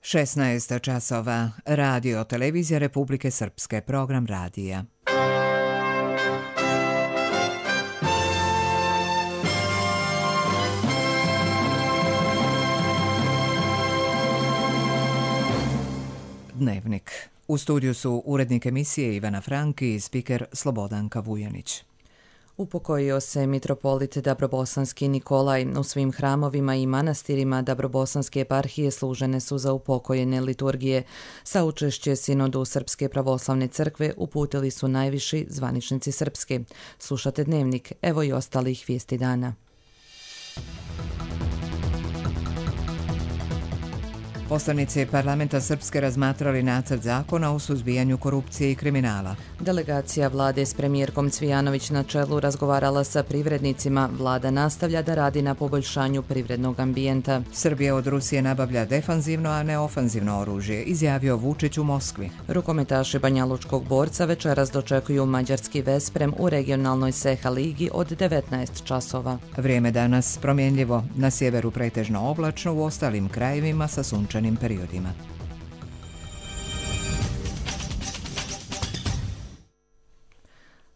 16 časova. Radio Televizija Republike Srpske. Program radija. Dnevnik. U studiju su urednik emisije Ivana Franki i spiker Slobodanka Vujanić. Upokojio se mitropolit Dabrobosanski Nikolaj. U svim hramovima i manastirima Dabrobosanske eparhije služene su za upokojene liturgije. Saučešće sinodu Srpske pravoslavne crkve uputili su najviši zvaničnici Srpske. Slušate Dnevnik, evo i ostalih vijesti dana. Poslanici parlamenta Srpske razmatrali nacrt zakona o suzbijanju korupcije i kriminala. Delegacija vlade s premijerkom Cvijanović na čelu razgovarala sa privrednicima. Vlada nastavlja da radi na poboljšanju privrednog ambijenta. Srbija od Rusije nabavlja defanzivno, a ne ofanzivno oružje, izjavio Vučić u Moskvi. Rukometaši Banjalučkog Borca večeras dočekuju mađarski Vesprem u regionalnoj Seha ligi od 19 časova. Vrijeme danas promjenljivo, na sjeveru pretežno oblačno, u ostalim krajevima sa sunčanim periodima.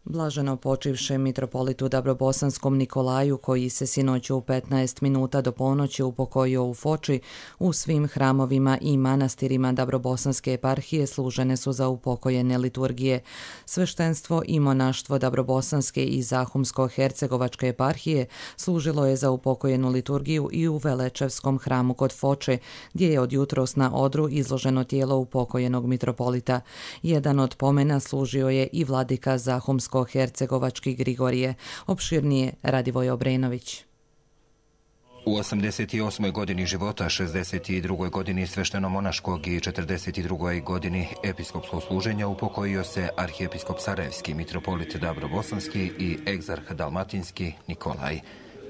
Blaženo počivšem mitropolitu Dabrobosanskom Nikolaju, koji se sinoć u 15 minuta do ponoći upokojio u Foči, u svim hramovima i manastirima Dabrobosanske eparhije služene su za upokojene liturgije. Sveštenstvo i monaštvo Dabrobosanske i Zahumsko-Hercegovačke eparhije služilo je za upokojenu liturgiju i u Velečevskom hramu kod Foče, gdje je od jutros na odru izloženo tijelo upokojenog mitropolita. Jedan od pomena služio je i vladika Zahumsko-Hercegovački Grigorije. Opširnije Radivoj Obrenović. U 88. godini života, 62. godini svešteno-monaškog i 42. godini episkopskog služenja upokojio se arhijepiskop Sarajevski, mitropolit Dabrobosanski i egzarh Dalmatinski Nikolaj.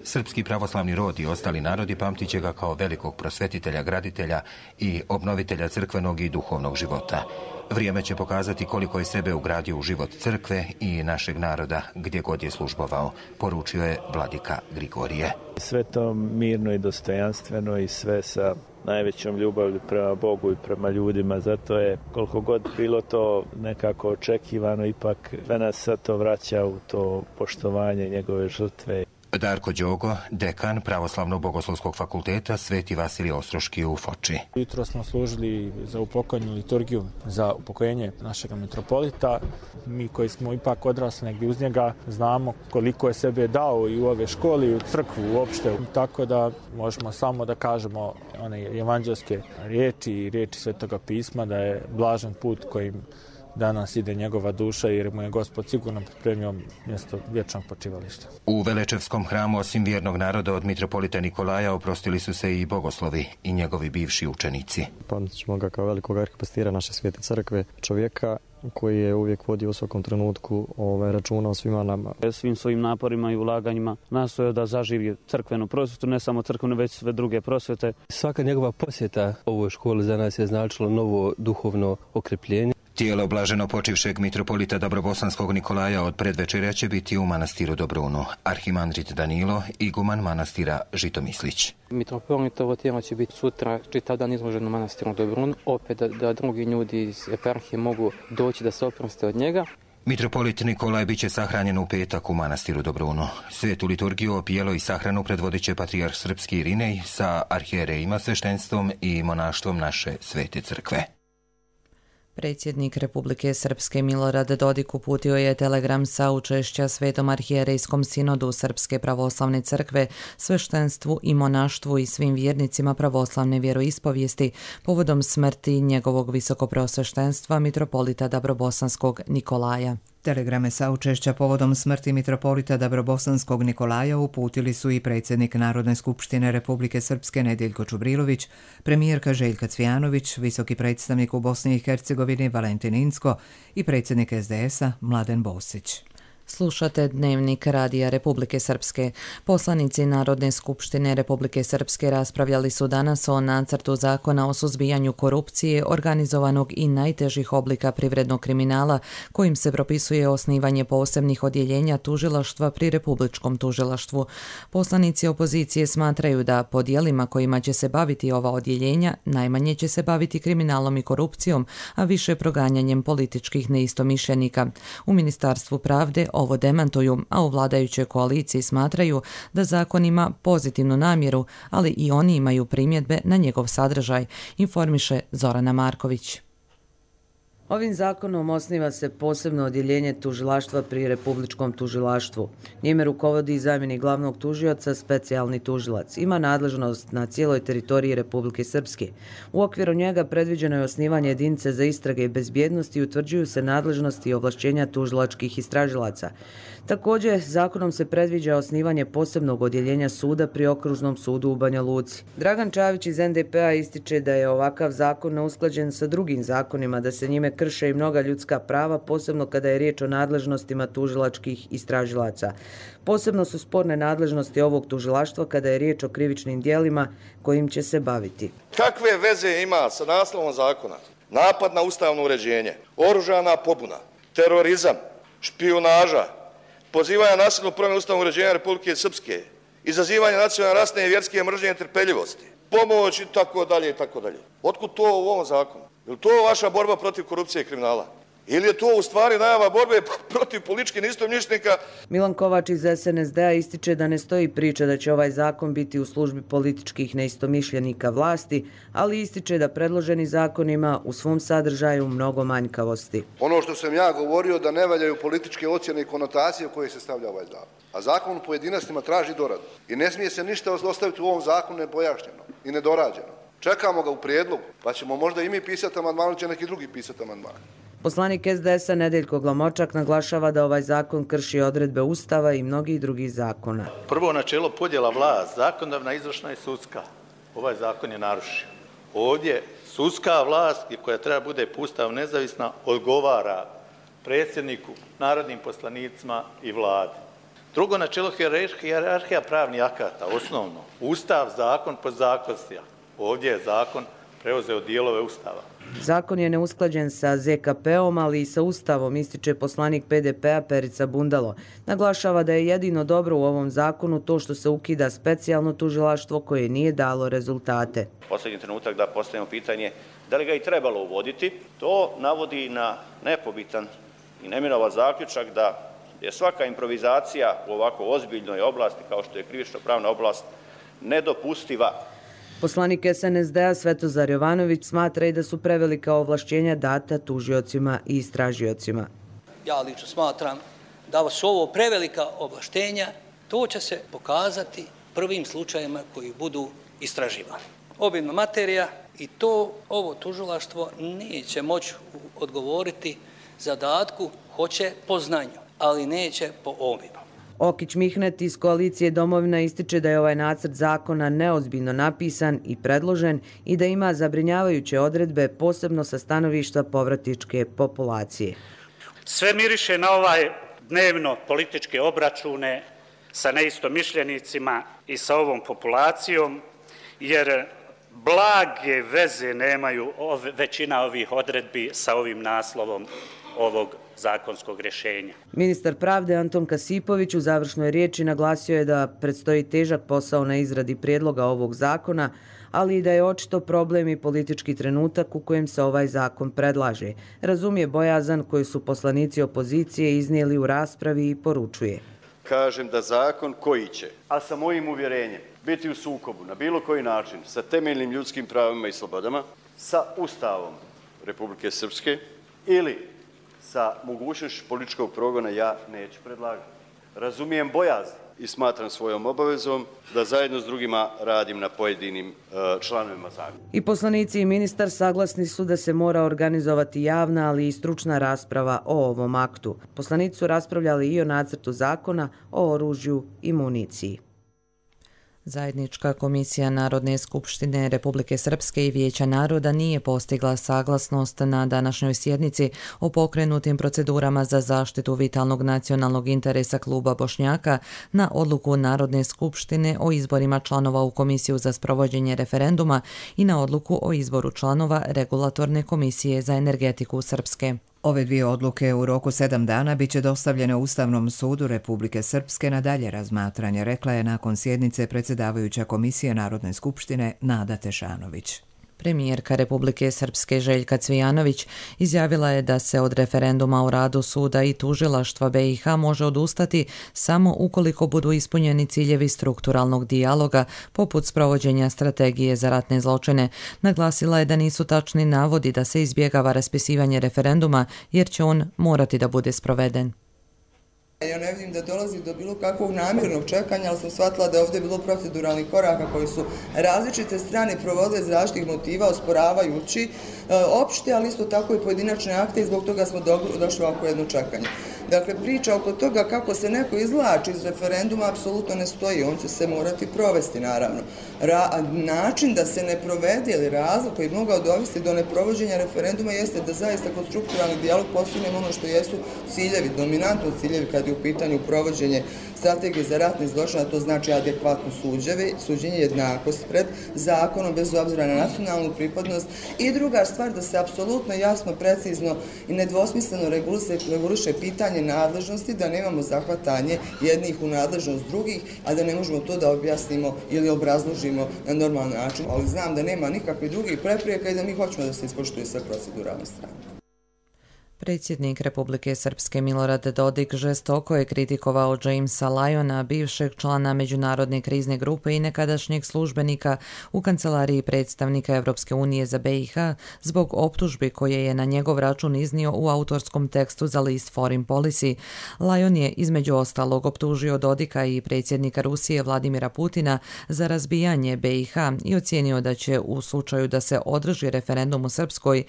Srpski pravoslavni rod i ostali narodi pamtit će ga kao velikog prosvetitelja, graditelja i obnovitelja crkvenog i duhovnog života. Vrijeme će pokazati koliko je sebe ugradio u život crkve i našeg naroda gdje god je službovao, poručio je vladika Grigorije. Sve to mirno i dostojanstveno i sve sa najvećom ljubavlju prema Bogu i prema ljudima. Zato je, koliko god bilo to nekako očekivano, ipak sve nas sad to vraća u to poštovanje njegove žrtve. Darko Đogo, dekan Pravoslavno-bogoslovskog fakulteta Sveti Vasilije Ostroški u Foči. Jutro smo služili za upokojenu liturgiju, za upokojenje našeg mitropolita. Mi koji smo ipak odrasli negdje uz njega znamo koliko je sebe dao i u ove škole i u crkvu uopšte. Tako da možemo samo da kažemo one evanđelske riječi i riječi Svetoga pisma da je blažen put kojim danas ide njegova duša jer mu je Gospod sigurno pripremio mjesto vječnog počivališta. U Velečevskom hramu osim vjernog naroda od mitropolita Nikolaja oprostili su se i bogoslovi i njegovi bivši učenici. Pamtit ćemo ga kao velikog arhipastira naše svete crkve, čovjeka koji je uvijek vodio u svakom trenutku računa o svima nama. Svim svojim naporima i ulaganjima nastojao da zaživi crkvenu prosvjetu, ne samo crkvenu, već sve druge prosvjete. Svaka njegova posjeta ovoj školi za nas je značilo novo duhovno okrepljenje. Tijelo blaženo počivšeg mitropolita Dabrobosanskog Nikolaja od predvečerja će biti u manastiru Dobrunu. Arhimandrit Danilo, iguman manastira Žitomislić. Mitropolitovo tijelo će biti sutra čitav dan izloženo u manastiru Dobrunu, opet da drugi ljudi iz eparhije mogu doći da se oproste od njega. Mitropolit Nikolaj bit će sahranjen u petak u manastiru Dobrunu. Svetu liturgiju, opijelo i sahranu predvodit će patrijarh srpski Irinej sa arhijerejima, sveštenstvom i monaštvom naše svete crkve. Predsjednik Republike Srpske Milorad Dodik uputio je telegram saučešća Svetom arhijerejskom sinodu Srpske pravoslavne crkve, sveštenstvu i monaštvu i svim vjernicima pravoslavne vjeroispovijesti povodom smrti njegovog visokopreosveštenstva mitropolita Dabrobosanskog Nikolaja. Telegrame saučešća povodom smrti mitropolita Dabrobosanskog Nikolaja uputili su i predsjednik Narodne skupštine Republike Srpske Nediljko Čubrilović, premijerka Željka Cvijanović, visoki predstavnik u Bosni i Hercegovini Valentin Incko i predsjednik SDS-a Mladen Bosić. Slušate Dnevnik Radija Republike Srpske. Poslanici Narodne skupštine Republike Srpske raspravljali su danas o nacrtu zakona o suzbijanju korupcije, organizovanog i najtežih oblika privrednog kriminala, kojim se propisuje osnivanje posebnih odjeljenja tužilaštva pri Republičkom tužilaštvu. Poslanici opozicije smatraju da po djelima kojima će se baviti ova odjeljenja najmanje će se baviti kriminalom i korupcijom, a više proganjanjem političkih neistomišljenika. U Ministarstvu pravde ovo demantuju, a u vladajućoj koaliciji smatraju da zakon ima pozitivnu namjeru, ali i oni imaju primjedbe na njegov sadržaj, informiše Zorana Marković. Ovim zakonom osniva se posebno odjeljenje tužilaštva pri Republičkom tužilaštvu. Njime rukovodi zamjenik glavnog tužioca, specijalni tužilac. Ima nadležnost na cijeloj teritoriji Republike Srpske. U okviru njega predviđeno je osnivanje jedinice za istrage i bezbjednost i utvrđuju se nadležnosti i ovlašćenja tužilačkih istražilaca. Također, zakonom se predviđa osnivanje posebnog odjeljenja suda pri Okružnom sudu u Banja Luci. Dragan Čavić iz NDP-a ističe da je ovakav zakon neusklađen sa drugim zakonima, da se njime krše i mnoga ljudska prava, posebno kada je riječ o nadležnostima tužilačkih istražilaca. Posebno su sporne nadležnosti ovog tužilaštva kada je riječ o krivičnim djelima kojim će se baviti. Kakve veze ima sa naslovom zakona? Napad na ustavno uređenje, oružana pobuna, terorizam, špijunaža, pozivanje na nasilnu promjenu ustavnog uređenja Republike Srpske, izazivanje nacionalne, rasne i vjerske mržnje i netrpeljivosti, pomoć i tako dalje i tako dalje. Otkud to u ovom zakonu? Je li to vaša borba protiv korupcije i kriminala? Ili je to u stvari najava borbe protiv političkih neistomišljenika? Milan Kovač iz SNSD-a ističe da ne stoji priča da će ovaj zakon biti u službi političkih neistomišljenika vlasti, ali ističe da predloženi zakon ima u svom sadržaju mnogo manjkavosti. Ono što sam ja govorio da ne valjaju političke ocjene i konotacije u koje se stavlja ovaj zakon. A zakon u pojedinostima traži doradu. I ne smije se ništa ostaviti u ovom zakonu nepojašnjeno i nedorađeno. Čekamo ga u prijedlogu, pa ćemo možda i mi pisati amandman, ili će neki drugi pisati amandman. Poslanik SDS-a Nedeljko Glamočak naglašava da ovaj zakon krši odredbe Ustava i mnogih drugih zakona. Prvo načelo podjela vlast, zakonodavna, izvršna i sudska. Ovaj zakon je narušio. Ovdje sudska vlast, koja treba bude po Ustavu nezavisna, odgovara predsjedniku, narodnim poslanicima i vladi. Drugo načelo hijerarhija pravnih akata, osnovno. Ustav, zakon, podzakonstva. Ovdje je zakon preuzeo dijelove Ustava. Zakon je neusklađen sa ZKP-om, ali i sa Ustavom, ističe poslanik PDP-a Perica Bundalo. Naglašava da je jedino dobro u ovom zakonu to što se ukida specijalno tužilaštvo koje nije dalo rezultate. Posljednji trenutak da postavimo pitanje da li ga i trebalo uvoditi. To navodi na nepobitan i nemirova zaključak da je svaka improvizacija u ovako ozbiljnoj oblasti kao što je krivično-pravna oblast nedopustiva. Poslanik SNSD-a Svetozar Jovanović smatra i da su prevelika ovlašćenja data tužiocima i istražiocima. Ja lično smatram da su ovo prevelika ovlaštenja, to će se pokazati prvim slučajima koji budu istraživani. Obimna materija i ovo tužilaštvo neće moći odgovoriti zadatku, hoće po znanju, ali neće po obimu. Okić Mihnet iz koalicije Domovina ističe da je ovaj nacrt zakona neozbiljno napisan i predložen i da ima zabrinjavajuće odredbe, posebno sa stanovišta povratničke populacije. Sve miriše na ovaj dnevno političke obračune sa neistomišljenicima i sa ovom populacijom, jer blage veze nemaju većina ovih odredbi sa ovim naslovom ovog zakonskog rješenja. Ministar pravde Anton Kasipović u završnoj riječi naglasio je da predstoji težak posao na izradi prijedloga ovog zakona, ali i da je očito problem i politički trenutak u kojem se ovaj zakon predlaže. Razumije bojazan koju su poslanici opozicije iznijeli u raspravi i poručuje. Kažem da zakon koji će, a sa mojim uvjerenjem, biti u sukobu na bilo koji način sa temeljnim ljudskim pravima i slobodama, sa Ustavom Republike Srpske ili sa mogućnošću političkog progona, ja neću predlagati. Razumijem bojazan i smatram svojom obavezom da zajedno s drugima radim na pojedinim članovima zakona. I poslanici i ministar saglasni su da se mora organizovati javna, ali i stručna rasprava o ovom aktu. Poslanici su raspravljali i o nacrtu zakona o oružju i municiji. Zajednička komisija Narodne skupštine Republike Srpske i Vijeća naroda nije postigla saglasnost na današnjoj sjednici o pokrenutim procedurama za zaštitu vitalnog nacionalnog interesa kluba Bošnjaka na odluku Narodne skupštine o izborima članova u Komisiju za sprovođenje referenduma i na odluku o izboru članova Regulatorne komisije za energetiku Srpske. Ove dvije odluke u roku 7 dana biće dostavljene Ustavnom sudu Republike Srpske na dalje razmatranje, rekla je nakon sjednice predsjedavajuća Komisije Narodne skupštine Nada Tešanović. Premijerka Republike Srpske Željka Cvijanović izjavila je da se od referenduma o radu suda i tužilaštva BiH može odustati samo ukoliko budu ispunjeni ciljevi strukturalnog dijaloga, poput sprovođenja strategije za ratne zločine. Naglasila je da nisu tačni navodi da se izbjegava raspisivanje referenduma jer će on morati da bude sproveden. Ja ne vidim da dolazi do bilo kakvog namjernog čekanja, ali sam shvatila da je ovdje bilo proceduralnih koraka koji su različite strane provodile iz različitih motiva, osporavajući opšte, ali isto tako i pojedinačne akte i zbog toga smo došli ovako jedno čekanje. Dakle, priča oko toga kako se neko izvlači iz referenduma apsolutno ne stoji, on će se morati provesti naravno. Način da se ne provede ili razlog koji bi mogao dovesti do neprovođenja referenduma jeste da zaista kod strukturalni dijalog postignemo ono što jesu ciljevi, dominantno ciljevi kad je u pitanju provođenje strategije za ratne zločine, to znači adekvatno suđenje, jednakost pred zakonom bez obzira na nacionalnu pripadnost i druga stvar da se apsolutno jasno, precizno i nedvosmisleno reguliše pitanje nadležnosti, da nemamo zahvatanje jednih u nadležnost drugih, a da ne možemo to da objasnimo ili obrazložimo na normalan način. Ali znam da nema nikakvih drugih prepreka i da mi hoćemo da se ispoštuju sve proceduralne strane. Predsjednik Republike Srpske Milorad Dodik žestoko je kritikovao Jamesa Lyona, bivšeg člana Međunarodne krizne grupe i nekadašnjeg službenika u kancelariji predstavnika Evropske unije za BiH zbog optužbi koje je na njegov račun iznio u autorskom tekstu za list Foreign Policy. Lyon je između ostalog optužio Dodika i predsjednika Rusije Vladimira Putina za razbijanje BiH i ocijenio da će u slučaju da se održi referendum u Srpskoj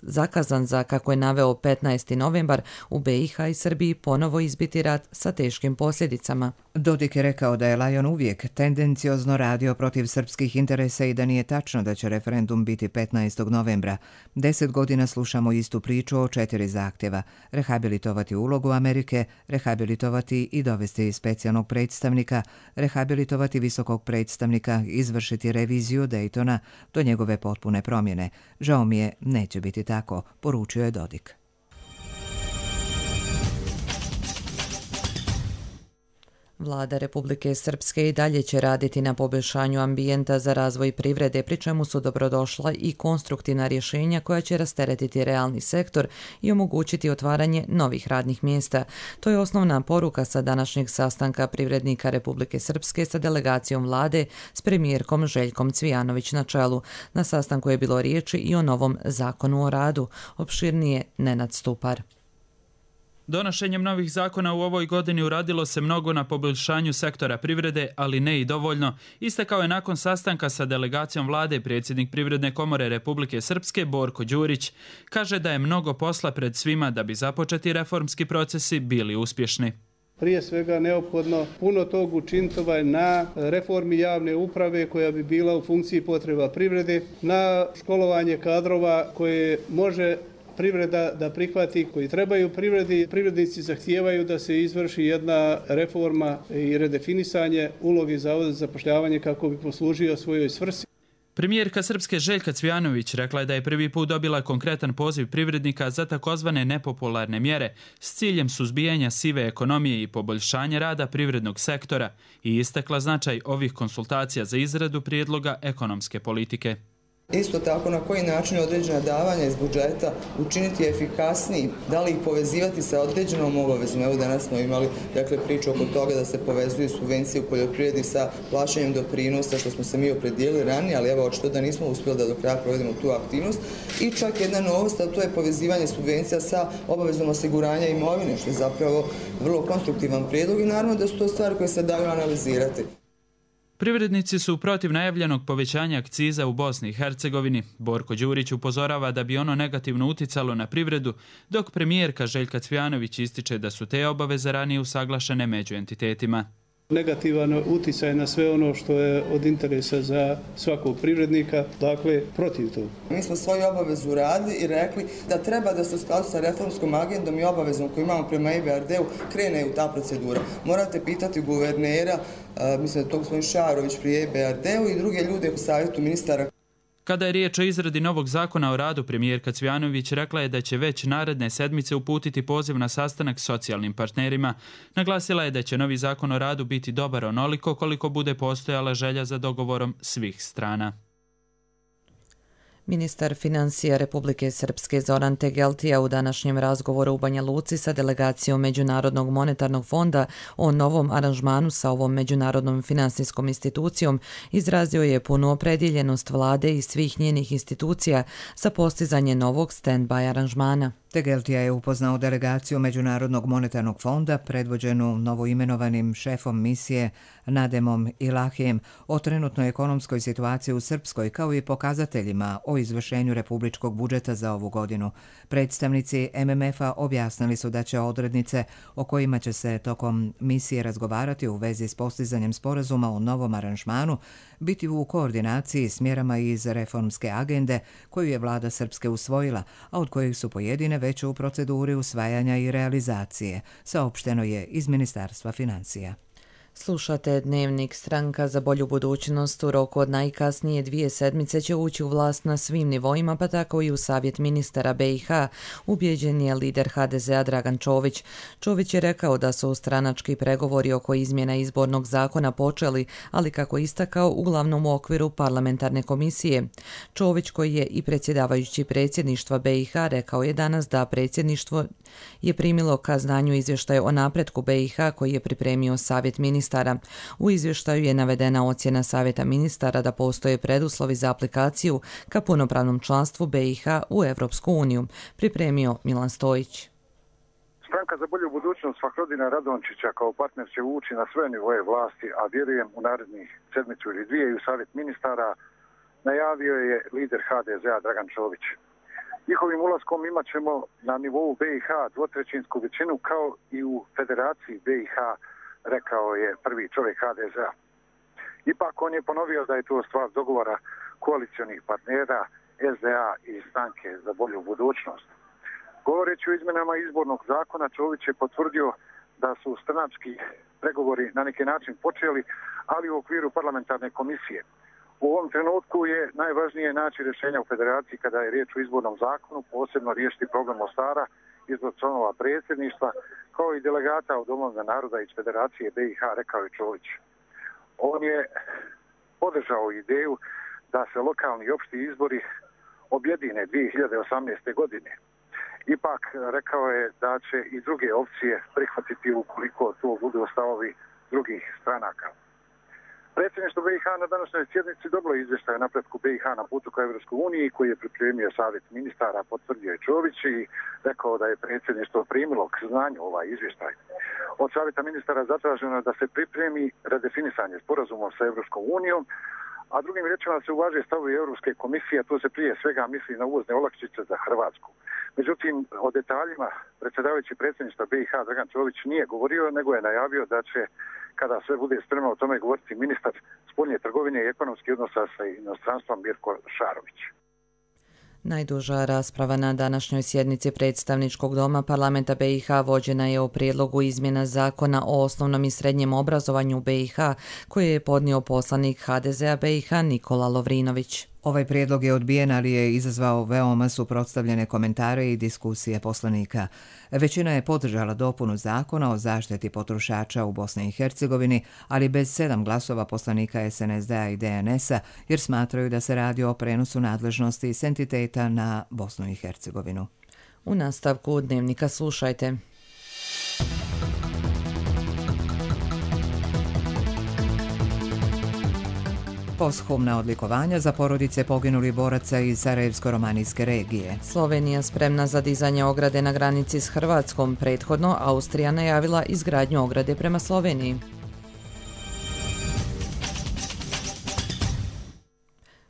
zakazan za, kako je naveo, 15. novembar u BiH i Srbiji ponovo izbiti rat sa teškim posljedicama. Dodik je rekao da je Lyon uvijek tendenciozno radio protiv srpskih interesa i da nije tačno da će referendum biti 15. novembra. 10 godina slušamo istu priču o 4 zahtjeva. Rehabilitovati ulogu Amerike, rehabilitovati i dovesti specijalnog predstavnika, rehabilitovati visokog predstavnika, izvršiti reviziju Daytona do njegove potpune promjene. Žao mi je, neće biti tako, poručio je Dodik. Vlada Republike Srpske i dalje će raditi na poboljšanju ambijenta za razvoj privrede, pri čemu su dobrodošla i konstruktivna rješenja koja će rasteretiti realni sektor i omogućiti otvaranje novih radnih mjesta. To je osnovna poruka sa današnjeg sastanka privrednika Republike Srpske sa delegacijom vlade s premijerkom Željkom Cvijanović na čelu. Na sastanku je bilo riječi i o novom zakonu o radu. Opširnije Nenad Stupar. Donošenjem novih zakona u ovoj godini uradilo se mnogo na poboljšanju sektora privrede, ali ne i dovoljno. Istakao je nakon sastanka sa delegacijom vlade predsjednik Privredne komore Republike Srpske Borko Đurić. Kaže da je mnogo posla pred svima da bi započeti reformski procesi bili uspješni. Prije svega neophodno puno tog učiniti na reformi javne uprave koja bi bila u funkciji potreba privrede, na školovanje kadrova koje može privreda da prihvati, koji trebaju privredi. Privrednici zahtijevaju da se izvrši jedna reforma i redefinisanje uloge Zavoda za zapošljavanje kako bi poslužio svojoj svrsi. Premijerka Srpske Željka Cvijanović rekla je da je prvi put dobila konkretan poziv privrednika za takozvane nepopularne mjere s ciljem suzbijanja sive ekonomije i poboljšanja rada privrednog sektora i istakla značaj ovih konsultacija za izradu prijedloga ekonomske politike. Isto tako na koji način određena davanja iz budžeta učiniti efikasniji, da li ih povezivati sa određenom obavezom. Evo danas smo imali priču oko toga da se povezuju subvencije u poljoprivredi sa plaćanjem doprinosa, što smo se mi opredijelili ranije, ali evo očito da nismo uspjeli da do kraja provedemo tu aktivnost. I čak jedna novost, a to je povezivanje subvencija sa obavezom osiguranja imovine, što je zapravo vrlo konstruktivan prijedlog i naravno da su to stvari koje se daju analizirati. Privrednici su protiv najavljenog povećanja akciza u Bosni i Hercegovini. Borko Đurić upozorava da bi ono negativno uticalo na privredu, dok premijerka Željka Cvijanović ističe da su te obaveze ranije usaglašene među entitetima. negativan uticaj na sve ono što je od interesa za svakog privrednika, dakle protiv toga. Mi smo svoju obavezu uradili i rekli da treba da se u skladu sa reformskom agendom i obavezom koju imamo prema EBRD-u krene u ta procedura. Morate pitati guvernera, mislim da to gospodin Šarović pri EBRD-u i druge ljude u savjetu ministara. Kada je riječ o izradi novog zakona o radu, premijerka Cvjanović rekla je da će već naredne sedmice uputiti poziv na sastanak s socijalnim partnerima. Naglasila je da će novi zakon o radu biti dobar onoliko koliko bude postojala želja za dogovorom svih strana. Ministar financija Republike Srpske Zoran Tegeltija u današnjem razgovoru u Banja Luci sa delegacijom Međunarodnog monetarnog fonda o novom aranžmanu sa ovom međunarodnom finansijskom institucijom izrazio je punu opredjeljenost vlade i svih njenih institucija za postizanje novog stand-by aranžmana. Tegeltija je upoznao delegaciju Međunarodnog monetarnog fonda predvođenu novoimenovanim šefom misije Nademom Ilahijem o trenutnoj ekonomskoj situaciji u Srpskoj kao i pokazateljima o izvršenju republičkog budžeta za ovu godinu. Predstavnici MMF-a objasnili su da će odrednice o kojima će se tokom misije razgovarati u vezi s postizanjem sporazuma o novom aranžmanu biti u koordinaciji s mjerama iz reformske agende koju je vlada Srpske usvojila, a od kojih su pojedine već u proceduri usvajanja i realizacije, saopšteno je iz Ministarstva financija. Slušate Dnevnik. Stranka za bolju budućnost u roku od najkasnije 2 sedmice će ući u vlast na svim nivoima, pa tako i u Savjet ministara BiH, ubjeđen je lider HDZ-a Dragan Čović. Čović je rekao da su stranački pregovori oko izmjena izbornog zakona počeli, ali kako istakao uglavnom u okviru parlamentarne komisije. Čović, koji je i predsjedavajući predsjedništva BiH, rekao je danas da predsjedništvo je primilo ka znanju izvještaj o napretku BiH koji je pripremio Savjet ministara. U izvještaju je navedena ocjena Savjeta ministara da postoje preduslovi za aplikaciju ka punopravnom članstvu BiH u Evropsku uniju, pripremio Milan Stojić. Stranka za bolju budućnost Fahrodina Radončića kao partner će ući na sve nivoje vlasti, a vjerujem u narednih sedmicu ili dvije i u Savjet ministara, najavio je lider HDZ-a Dragan Čović. Njihovim ulaskom imat ćemo na nivou BiH dvotrećinsku većinu kao i u Federaciji BiH, rekao je prvi čovjek HDZ-a. Ipak on je ponovio da je to stvar dogovora koalicionih partnera SDA i Stranke za bolju budućnost. Govoreći o izmjenama izbornog zakona, Čović je potvrdio da su stranački pregovori na neki način počeli, ali u okviru parlamentarne komisije. U ovom trenutku je najvažnije naći rješenja u federaciji kada je riječ o izbornom zakonu, posebno riješiti problem Mostara, izbor članova predsjedništva, kao i delegata od Domovina naroda iz Federacije BiH, rekao je Čović. On je podržao ideju da se lokalni i opšti izbori objedine 2018. godine. Ipak rekao je da će i druge opcije prihvatiti ukoliko to budu stavovi drugih stranaka. Predsjedništvo BiH na današnjoj sjednici dobilo izvještaj o napretku BiH na putu ka Evropskoj uniji koji je pripremio Savjet ministara, potvrdio je Čović i rekao da je predsjedništvo primilo k znanju ovaj izvještaj. Od Savjeta ministara zatraženo je da se pripremi redefinisanje sporazumom sa Evropskom unijom, a drugim riječima se uvaže stavovi Europske komisije, a to se prije svega misli na uvozne olakšice za Hrvatsku. Međutim, o detaljima predsjedavajući predsjedništva BiH Dragan Čović nije govorio, nego je najavio da će, kada sve bude spremno, o tome govoriti ministar spoljne trgovine i ekonomskih odnosa sa inostranstvom Mirko Šarović. Najduža rasprava na današnjoj sjednici predstavničkog doma parlamenta BiH vođena je o prijedlogu izmjena zakona o osnovnom i srednjem obrazovanju BiH koje je podnio poslanik HDZ-a BiH Nikola Lovrinović. Ovaj prijedlog je odbijen, ali je izazvao veoma suprotstavljene komentare i diskusije poslanika. Većina je podržala dopunu zakona o zaštiti potrošača u Bosni i Hercegovini, ali bez 7 glasova poslanika SNSD-a i DNS-a, jer smatraju da se radi o prenosu nadležnosti s entiteta na Bosnu i Hercegovinu. U nastavku Dnevnika slušajte. Posthumna odlikovanja za porodice poginulih boraca iz Sarajevsko-romanijske regije. Slovenija spremna za dizanje ograde na granici s Hrvatskom. Prethodno Austrija najavila izgradnju ograde prema Sloveniji.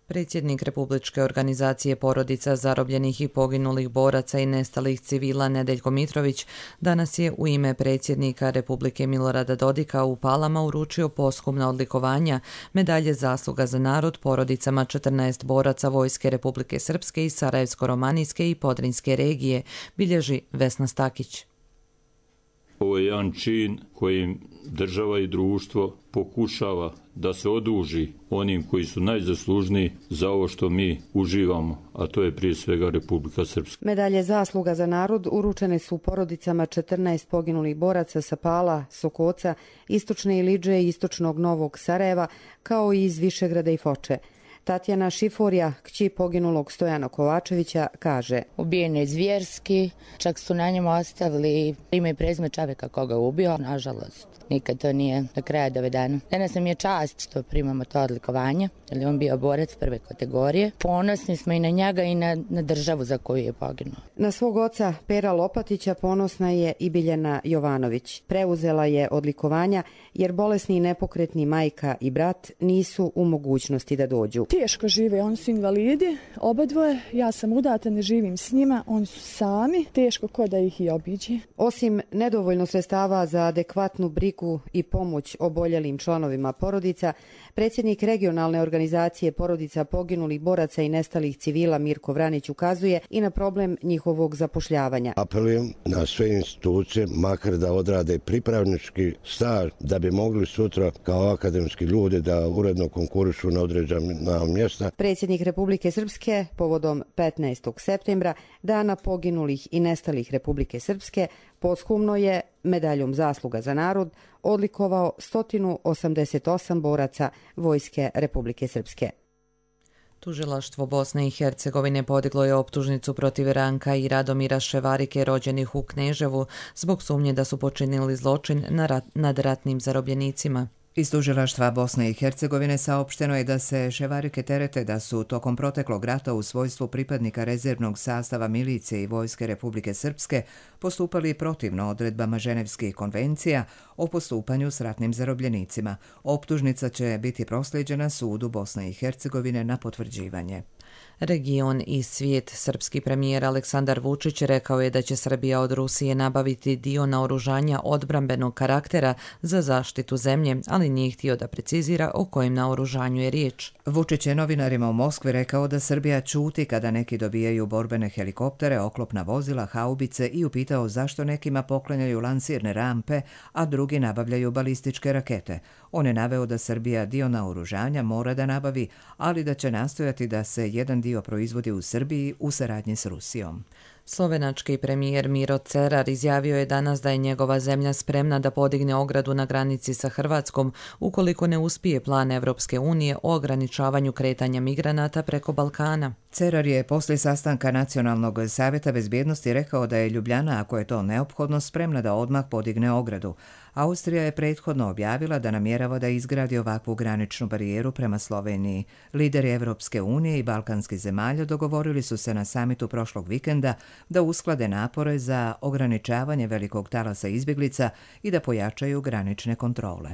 Predsjednik Republičke organizacije porodica zarobljenih i poginulih boraca i nestalih civila Nedeljko Mitrović danas je u ime predsjednika Republike Milorada Dodika u Palama uručio posthumna odlikovanja, medalje zasluga za narod porodicama 14 boraca Vojske Republike Srpske i Sarajevsko-romanijske i Podrinjske regije, bilježi Vesna Stakić. Ovo je jedan čin kojim država i društvo pokušava da se oduži onim koji su najzaslužniji za ovo što mi uživamo, a to je prije svega Republika Srpska. Medalje zasluga za narod uručene su porodicama 14 poginulih boraca sa Pala, Sokoca, Istočne Ilidže i Istočnog Novog Sarajeva, kao i iz Višegrada i Foče. Tatjana Šiforija, kći poginulog Stojana Kovačevića, kaže: Ubijen je zvjerski, čak su na njemu ostavili ime i prezime čovjeka koga je ubio. Nažalost, nikad to nije do kraja dovedeno. Danas nam je čast što primamo to odlikovanje, jer je on bio borac prve kategorije. Ponosni smo i na njega i na državu za koju je poginuo. Na svog oca Pera Lopatića ponosna je i Biljana Jovanović. Preuzela je odlikovanja jer bolesni i nepokretni majka i brat nisu u mogućnosti da dođu. Teško žive, oni su invalidi, obadvoje, ja sam udata, ne živim s njima, oni su sami, teško ko da ih i obiđe. Osim nedovoljno sredstava za adekvatnu brigu i pomoć oboljelim članovima porodica, predsjednik regionalne organizacije porodica poginulih boraca i nestalih civila Mirko Vranić ukazuje i na problem njihovog zapošljavanja. Apelujem na sve institucije, makar da odrade pripravnički staž, da bi mogli sutra kao akademski ljudi da uredno konkurišu na određena mjesta. Predsjednik Republike Srpske povodom 15. septembra, dana poginulih i nestalih Republike Srpske, posthumno je medaljom zasluga za narod odlikovao 188 boraca Vojske Republike Srpske. Tužilaštvo Bosne i Hercegovine podiglo je optužnicu protiv Ranka i Radomira Ševarike rođenih u Kneževu zbog sumnje da su počinili zločin nad ratnim zarobljenicima. Iz tužilaštva Bosne i Hercegovine saopšteno je da se Ševarike terete da su tokom proteklog rata u svojstvu pripadnika rezervnog sastava milicije i Vojske Republike Srpske postupali protivno odredbama Ženevskih konvencija o postupanju s ratnim zarobljenicima. Optužnica će biti proslijeđena sudu Bosne i Hercegovine na potvrđivanje. Region i svijet. Srpski premijer Aleksandar Vučić rekao je da će Srbija od Rusije nabaviti dio naoružanja odbrambenog karaktera za zaštitu zemlje, ali nije htio da precizira o kojem naoružanju je riječ. Vučić je novinarima u Moskvi rekao da Srbija ćuti kada neki dobijaju borbene helikoptere, oklopna vozila, haubice i upitao zašto nekima poklanjaju lansirne rampe, a drugi nabavljaju balističke rakete. On je naveo da Srbija dio naoružanja mora da nabavi, ali da će nastojati da se jedan dio proizvodi u Srbiji u saradnji s Rusijom. Slovenački premijer Miro Cerar izjavio je danas da je njegova zemlja spremna da podigne ogradu na granici sa Hrvatskom ukoliko ne uspije plan Evropske unije o ograničavanju kretanja migranata preko Balkana. Cerar je poslije sastanka Nacionalnog savjeta bezbjednosti rekao da je Ljubljana, ako je to neophodno, spremna da odmah podigne ogradu. Austrija je prethodno objavila da namjerava da izgradi ovakvu graničnu barijeru prema Sloveniji. Lideri Evropske unije i balkanskih zemalja dogovorili su se na samitu prošlog vikenda da usklade napore za ograničavanje velikog talasa izbjeglica i da pojačaju granične kontrole.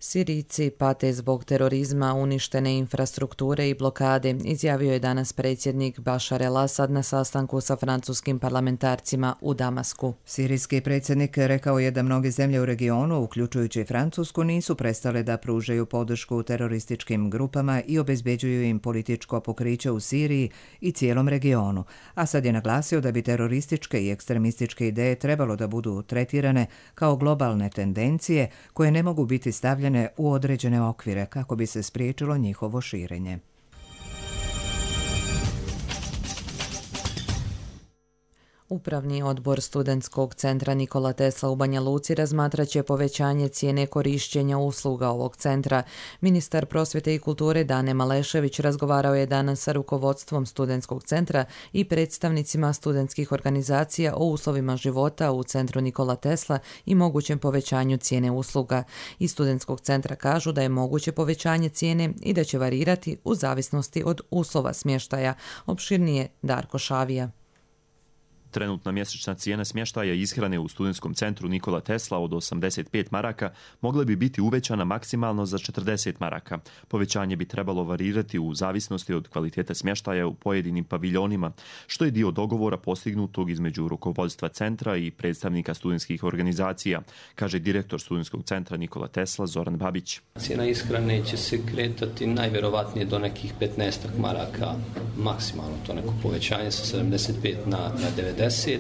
Sirijci pate zbog terorizma, uništene infrastrukture i blokade, izjavio je danas predsjednik Bašar el-Asad na sastanku sa francuskim parlamentarcima u Damasku. Sirijski predsjednik rekao je da mnoge zemlje u regionu, uključujući i Francusku, nisu prestale da pružaju podršku terorističkim grupama i obezbeđuju im političko pokriće u Siriji i cijelom regionu. Asad je naglasio da bi terorističke i ekstremističke ideje trebalo da budu tretirane kao globalne tendencije koje ne mogu biti stavljene u određene okvire kako bi se spriječilo njihovo širenje. Upravni odbor Studentskog centra Nikola Tesla u Banja Luci razmatraće povećanje cijene korišćenja usluga ovog centra. Ministar prosvjete i kulture Dane Malešević razgovarao je danas sa rukovodstvom Studentskog centra i predstavnicima studentskih organizacija o uslovima života u centru Nikola Tesla i mogućem povećanju cijene usluga. Iz Studentskog centra kažu da je moguće povećanje cijene i da će varirati u zavisnosti od uslova smještaja. Opširnije Darko Šavija. Trenutna mjesečna cijena smještaja i ishrane u studentskom centru Nikola Tesla od 85 maraka mogla bi biti uvećana maksimalno za 40 maraka. Povećanje bi trebalo varirati u zavisnosti od kvalitete smještaja u pojedinim paviljonima, što je dio dogovora postignutog između rukovodstva centra i predstavnika studentskih organizacija, kaže direktor studentskog centra Nikola Tesla Zoran Babić. Cijena ishrane će se kretati najvjerovatnije do nekih 15 maraka, maksimalno to neko povećanje sa 75 na 90,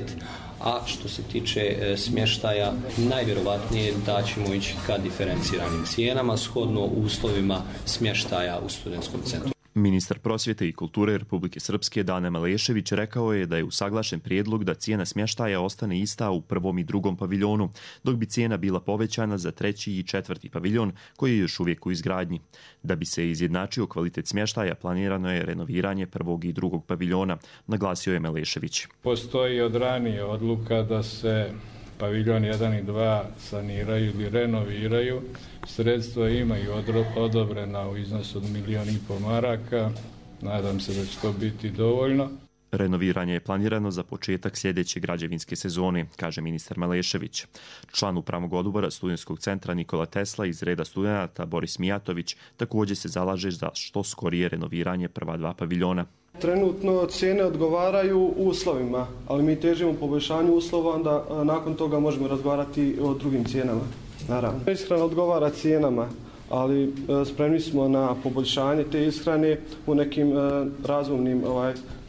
a što se tiče smještaja, najvjerovatnije da ćemo ići ka diferenciranim cijenama shodno uslovima smještaja u studentskom centru. Ministar prosvjete i kulture Republike Srpske Dane Malešević rekao je da je usaglašen prijedlog da cijena smještaja ostane ista u prvom i drugom paviljonu, dok bi cijena bila povećana za treći i četvrti paviljon koji je još uvijek u izgradnji. Da bi se izjednačio kvalitet smještaja, planirano je renoviranje prvog i drugog paviljona, naglasio je Malešević. Postoji od ranije odluka da se paviljon 1 i 2 saniraju ili renoviraju. Sredstva imaju odobrena u iznosu od 1,5 milijuna maraka. Nadam se da će to biti dovoljno. Renoviranje je planirano za početak sljedeće građevinske sezone, kaže ministar Malešević. Član upravnog odbora studentskog centra Nikola Tesla iz reda studenata Boris Mijatović također se zalaže za što skorije renoviranje prva dva paviljona. Trenutno cijene odgovaraju uslovima, ali mi težimo poboljšanju uslova, onda nakon toga možemo razgovarati o drugim cijenama. Naravno. Ishrana odgovara cijenama, ali spremni smo na poboljšanje te ishrane u nekim razumnim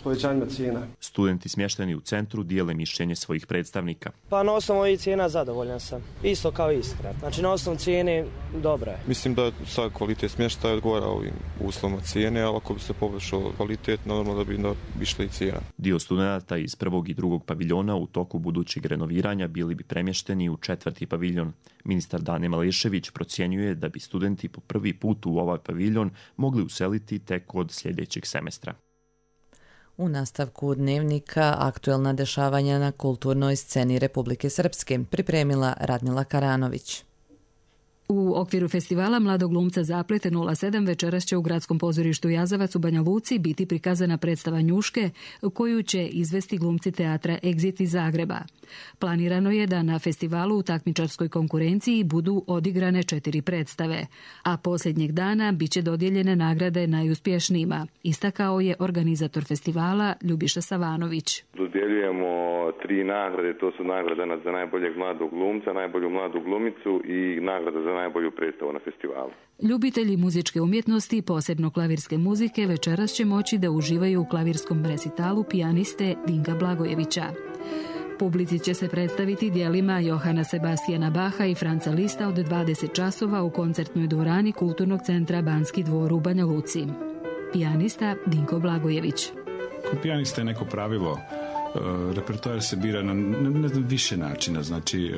povećanjima cijena. Studenti smješteni u centru dijele mišljenje svojih predstavnika. Pa na osnovu ovih cijena zadovoljan sam. Isto kao ishrana. Znači na osnovu cijene dobra je. Mislim da sad kvalitet smještaja odgovara ovim uslovima cijene, ali ako bi se poboljšao kvalitet, normalno da bi išla i cijena. Dio studenta iz prvog i drugog paviljona u toku budućeg renoviranja bili bi premješteni u četvrti paviljon. Ministar Dane Malešević procjenjuje da bi studenti po prvi put u ovaj paviljon mogli useliti tek od sljedećeg semestra. U nastavku dnevnika aktuelna dešavanja na kulturnoj sceni Republike Srpske pripremila Radmila Karanović. U okviru festivala Mladog glumca Zaplete 07 večeras će u Gradskom pozorištu Jazavac u Banja Luci biti prikazana predstava Njuške koju će izvesti glumci teatra Exit iz Zagreba. Planirano je da na festivalu u takmičarskoj konkurenciji budu odigrane 4 predstave, a posljednjeg dana biće dodijeljene nagrade najuspješnijima, istakao je organizator festivala Ljubiša Savanović. Dodjeljujemo 3 nagrade, to su nagrada za najboljeg mladog glumca, najbolju mladu glumicu i nagrada za najbolju predstavu na festivalu. Ljubitelji muzičke umjetnosti, posebno klavirske muzike, večeras će moći da uživaju u klavirskom resitalu pijaniste Dinka Blagojevića. Publici će se predstaviti dijelima Johana Sebastijana Baha i Franca Lista od 20 časova u koncertnoj dvorani Kulturnog centra Banski dvor u Banja Luci. Pijanista Dinko Blagojević. Kod pijanista je neko pravilo. Repertoar se bira na više načina. Znači,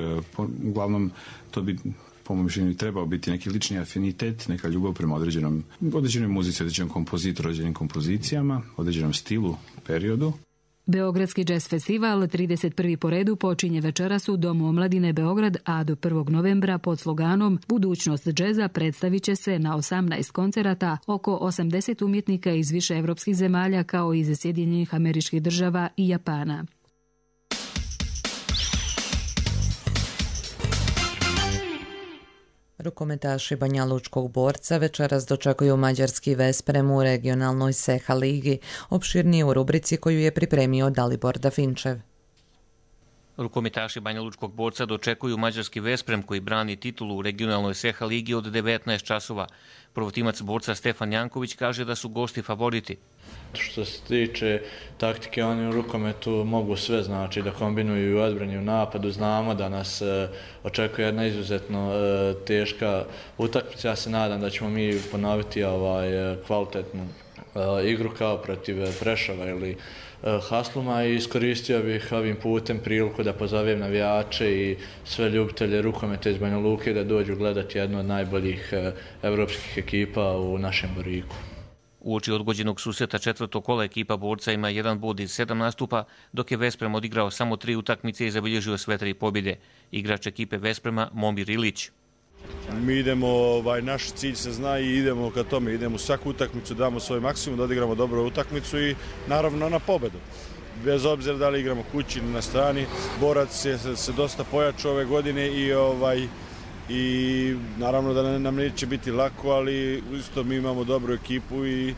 uglavnom, to bi po mojom mišljenju trebao biti neki lični afinitet, neka ljubav prema određenoj muzici, određenom kompozitoru, određenim kompozicijama, određenom stilu, periodu. Beogradski jazz festival 31. po redu počinje večeras u Domu omladine Beograd, a do 1. novembra pod sloganom Budućnost džeza predstavit će se na 18 koncerata oko 80 umjetnika iz više evropskih zemalja kao i iz Sjedinjenih Američkih Država i Japana. Rukometaši Banjalučkog Borca večeras dočekuju mađarski Vesprem u regionalnoj Seha ligi, opširnije u rubrici koju je pripremio Dalibor Dafinčev. Rukometaši Banjalučkog Borca dočekuju mađarski Vesprem koji brani titulu u regionalnoj Seha ligi od 19 časova. Prvotimac Borca Stefan Janković kaže da su gosti favoriti. Što se tiče taktike, oni u rukometu mogu sve, znači da kombinuju i u odbrani i u napadu. Znamo da nas očekuje jedna izuzetno teška utakmica. Ja se nadam da ćemo mi ponoviti kvalitetnu igru kao protiv Prešova ili Hasluma i iskoristio bih ovim putem priliku da pozovem navijače i sve ljubitelje rukometa iz Banja Luke da dođu gledati jednu od najboljih evropskih ekipa u našem Boriku. Uoči odgođenog susreta četvrtog kola ekipa Borca ima 1 bod iz 7 nastupa, dok je Vesprem odigrao samo 3 utakmice i zabilježio sve 3 pobjede. Igrač ekipe Vesprema Momir Ilić. Mi idemo, naš cilj se zna i idemo ka tome, idemo u svaku utakmicu, damo svoj maksimum, da odigramo dobru utakmicu i naravno na pobedu. bez obzira da li igramo kući ili na strani. Borac je se dosta pojačao ove godine i naravno da nam neće biti lako, ali isto mi imamo dobru ekipu i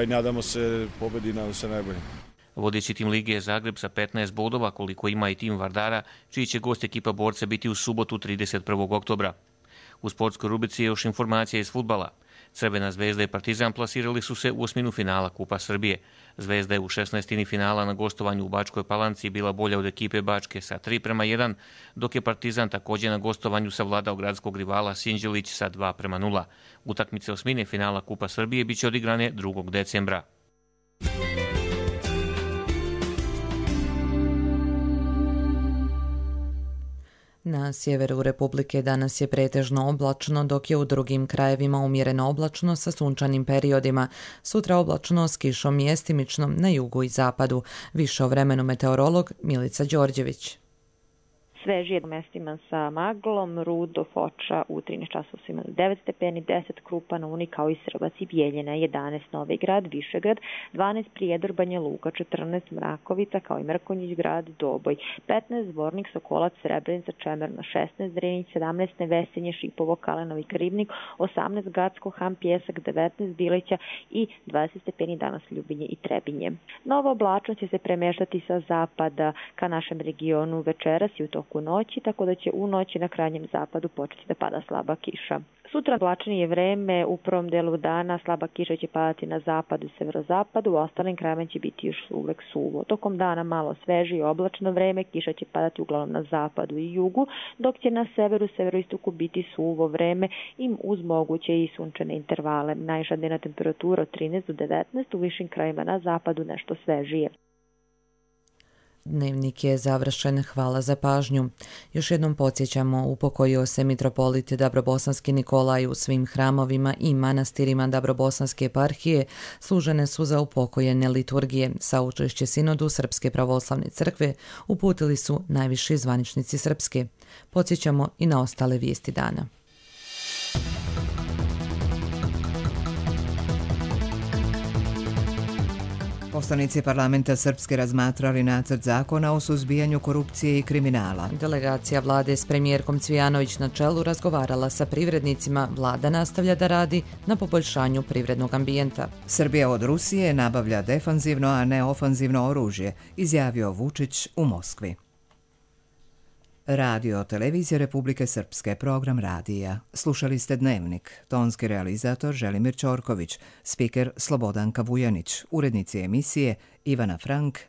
nadamo se pobedi, nadamo se najbolje. Vodeći tim lige je Zagreb sa 15 bodova, koliko ima i tim Vardara, čiji će gost ekipa Borca biti u subotu 31. oktobra. U sportskoj rubrici je još informacija iz fudbala. Crvena Zvezda i Partizan plasirali su se u osminu finala Kupa Srbije. Zvezda je u 16. finala na gostovanju u Bačkoj Palanci bila bolja od ekipe Bačke sa 3:1, dok je Partizan također na gostovanju savladao gradskog rivala Sinđelić sa 2:0. Utakmice osmine finala Kupa Srbije biće odigrane 2. decembra. Na sjeveru Republike danas je pretežno oblačno, dok je u drugim krajevima umjereno oblačno sa sunčanim periodima. Sutra oblačno s kišom mjestimično na jugu i zapadu. Više o vremenu meteorolog Milica Đorđević. Svežije mestima sa maglom, Rudo, Foča u 13 časova su imali 9 stepeni, 10 Krupa, na Uni kao i Srbac i Bijeljina, 11 Novi Grad, Višegrad, 12 Prijedor, Banja Luka, 14 Mrakovica kao i Mrkonjić grad, Doboj, 15 Zvornik, Sokolac, Srebrenica, Čemerna, 16 Drenić, 17 Nevesinje, Šipovo, Kalenovi, Krivnik, 18 Gacko, Ham, Pjesak, 19 Bilića i 20 stepeni danas Ljubinje i Trebinje. Nova oblačnost će se premeštati sa zapada ka našem regionu večeras i u toku noći, tako da će u noći na krajnjem zapadu početi da pada slaba kiša. Sutra oblačnije vreme, u prvom delu dana slaba kiša će padati na zapadu i severozapadu, u ostalim krajevima će biti još uvek suvo. Tokom dana malo sveže i oblačno vreme, kiša će padati uglavnom na zapadu i jugu, dok će na severu, severoistoku biti suvo vreme i uz moguće i sunčane intervale. Najviša dnevna temperatura od 13 do 19, u višim krajevima na zapadu nešto svežije. Dnevnik je završen, hvala za pažnju. Još jednom podsjećamo, upokojio se mitropolit Dabrobosanski Nikolaj u svim hramovima i manastirima Dabrobosanske eparhije, služene su za upokojene liturgije. Saučešće sinodu Srpske pravoslavne crkve uputili su najviši zvaničnici Srpske. Podsjećamo i na ostale vijesti dana. Poslanici parlamenta Srpske razmatrali nacrt zakona o suzbijanju korupcije i kriminala. Delegacija vlade s premijerkom Cvijanović na čelu razgovarala sa privrednicima. Vlada nastavlja da radi na poboljšanju privrednog ambijenta. Srbija od Rusije nabavlja defanzivno, a ne ofanzivno oružje, izjavio Vučić u Moskvi. Radio Televizija Republike Srpske, program radija. Slušali ste Dnevnik. Tonski realizator Želimir Ćorković, spiker Slobodanka Vujanić, urednici emisije Ivana Frank